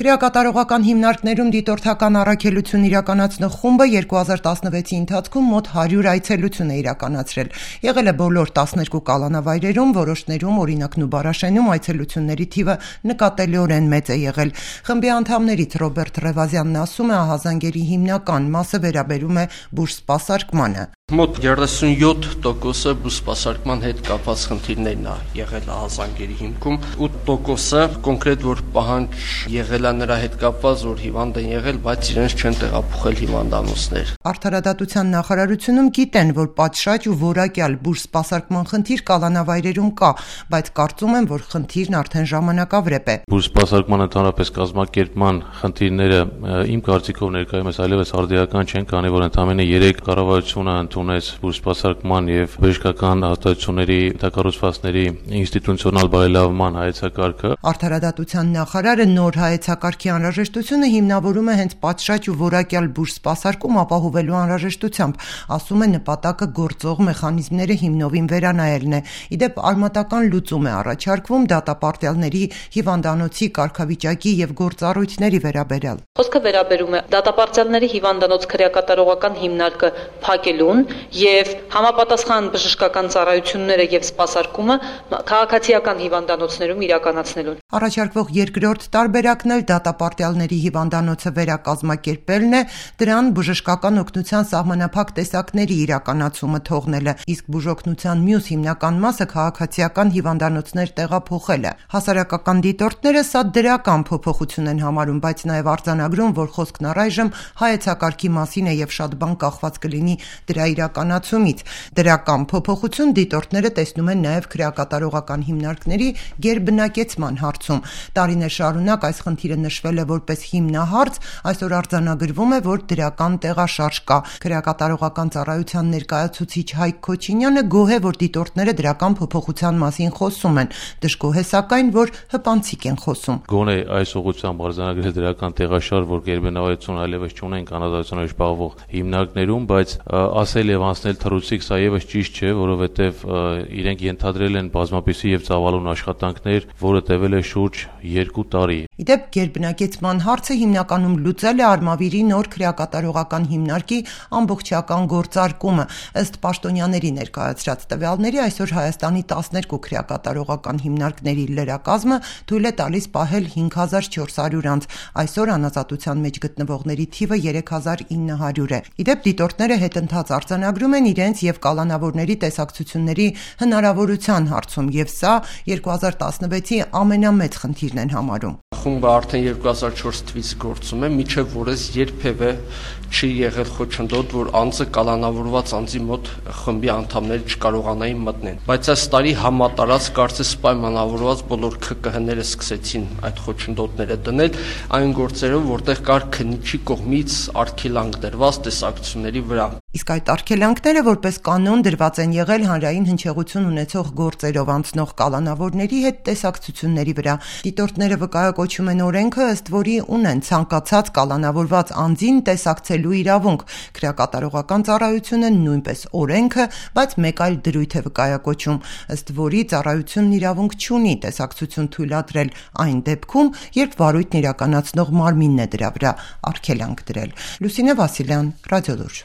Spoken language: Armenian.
Քրեակատարողական հիմնարկներում դիտորդական առաքելություն իրականացնող խումբը 2016-ի ընթացքում մոտ 100 այցելություն է իրականացրել։ Եղել է բոլոր 12 կալանավայրերում, որոշներում, օրինակ Նուբարաշենում այցելությունների թիվը նկատելիորեն մեծ է եղել։ Խմբի անդամներից Ռոբերտ Ռևազյանն ասում է, ահազանգերի հիմնական մասը վերաբերում է բուժսպասարկմանը։ Մոտ 37%-ը բուժսպասարկման հետ կապված խնդիրներն է եղել ահազանգերի հիմքում, 8%-ը կոնկրետ որ պահանջ եղել է նրա հետ կապված, որ հիվանդ են եղել, բայց իրենց չեն տեղափոխել հիվանդանոցներ։ Արդարադատության նախարարությունում գիտեն, որ պատշաճ ու որակյալ բուժսպասարկման խնդիր կալանավայրերում կա, բայց կարծում են, որ խնդիրն արդեն ժամանակավրեպ է։ Բուժսպասարկման ընդհանրապես կազմակերպման խնդիրները իմ կարծիքով ներկայումս այլևս արդիական չեն, քանի որ ընդամենը 3 կառավարությունը ունես բուժսպասարկման եւ բժշկական հաստատությունների տակառուցվածքների ինստիտուցիոնալ բարելավման հայեցակարգը։ Արդարադատության նախարարը նոր հայեցակարգի անհրաժեշտությունը հիմնավորում է հենց պատշաճ ու որակյալ բուժսպասարկում ապահովելու անհրաժեշտությամբ, ասում է նպատակը գործող մեխանիզմները հիմնովին վերանայելն է։ Իդեպ արմատական լուծում է առաջարկվում դատապարտյալների հիվանդանոցի կարգավիճակի եւ գործառույթների վերաբերյալ։ Խոսքը վերաբերում է դատապարտյալների հիվանդանոց քրեակատարողական հիմնարկը փակելուն եւ համապատասխան բժշկական ծառայությունները եւ սպասարկումը քաղաքացիական հիվանդանոցներում իրականացնելուն։ Առաջարկվող երկրորդ տարբերակն էլ դատապարտյալների հիվանդանոցը վերակազմակերպելն է, դրան բժշկական օգնության սահմանափակ տեսակների իրականացումը թողնելը, իսկ բուժօգնության մյուս հիմնական մասը քաղաքացիական հիվանդանոցներ տեղափոխելը։ Հասարակական դիտորդները սա դրական փոփոխություն են համարում, բայց նաև արձանագրում, որ խոսքն առայժմ հայեցակարգի մասին է եւ շատ բան կախված կլինի դրա իրականացումից։ Դրական փոփոխություն դիտորդները տեսնում են նաև քրեակատարողական հիմնարկների գերբնակեցման հարցում։ Տարիներ շարունակ այս խնդիրը նշվել է որպես հիմնահարց, այսօր արձանագրվում է, որ դրական տեղաշարժ կա։ Քրեակատարողական ծառայության ներկայացուցիչ Հայկ Քոչինյանը գոհ է, որ դիտորդները դրական փոփոխության մասին խոսում են, դժգոհ է սակայն, որ հպանցիկ են խոսում։ Գոնե այս ուղղությամբ արձանագրել դրական տեղաշարժ, որ գերբնակեցություն այլևս չունեն կանադացիոնով զբաղվող հիմնարկներում, բայց ասել եւ անցնել թռուցիկ սա եւս ճիշտ չէ, որովհետեւ իրենք ենթադրել են բազմապիսի եւ ծավալուն աշխատանքներ, որը տևել է շուրջ 2 տարի։ Իդեպ գերբնակեցման հարցը հիմնականում լուծել է Արմավիրի նոր քրեակատարողական հիմնարկի ամբողջական գործարկումը։ Ըստ պաշտոնյաների ներկայացրած տվյալների այսօր Հայաստանի 12 քրեակատարողական հիմնարկների լրակազմը թույլ է տալիս պահել 5400 անձ։ Այսօր անազատության մեջ գտնվողների թիվը 3900 է։ Իդեպ դիտորդները հետընթաց արձանագրում են իրենց եւ կալանավորների տեսակցությունների հնարավորության հարցում եւ սա 2016-ի ամենամեծ խնդիրն են համարում։ Խումբը արդեն 2004 թվականից գործում է, միջև որս երբևէ չի եղել խոչընդոտ, որ անձը կալանավորված անձի մոտ խմբի անդամները չկարողանային մտնել։ Բայց այս տարի համատարած կարծես պայմանավորված բոլոր ՔԿՀ-ները սկսեցին այդ խոչընդոտները դնել այն գործերով, որտեղ կար քննիչի կողմից արգելանք դրված տեսակցությունների վրա։ Իսկ այդ արգելանքները որպես կանոն դրված են եղել հանրային հնչեղություն ունեցող գործերով անցնող կալանավորների հետ տեսակցությունների վրա։ Դիտորդները վկայակոչում են օրենքը, ըստ որի ունեն ցանկացած կալանավորված անձին տեսակցելու իրավունք։ Քրեակատարողական ծառայությունը նույնպես օրենքը, բայց մեկ այլ դրույթ է վկայակոչում, ըստ որի ծառայությունն իրավունք չունի տեսակցություն թույլատրել այն դեպքում, երբ վարույթն իրականացնող մարմինն է դրա վրա արգելանք դրել։ Լուսինե Վասիլյան, Ռադիոլուր։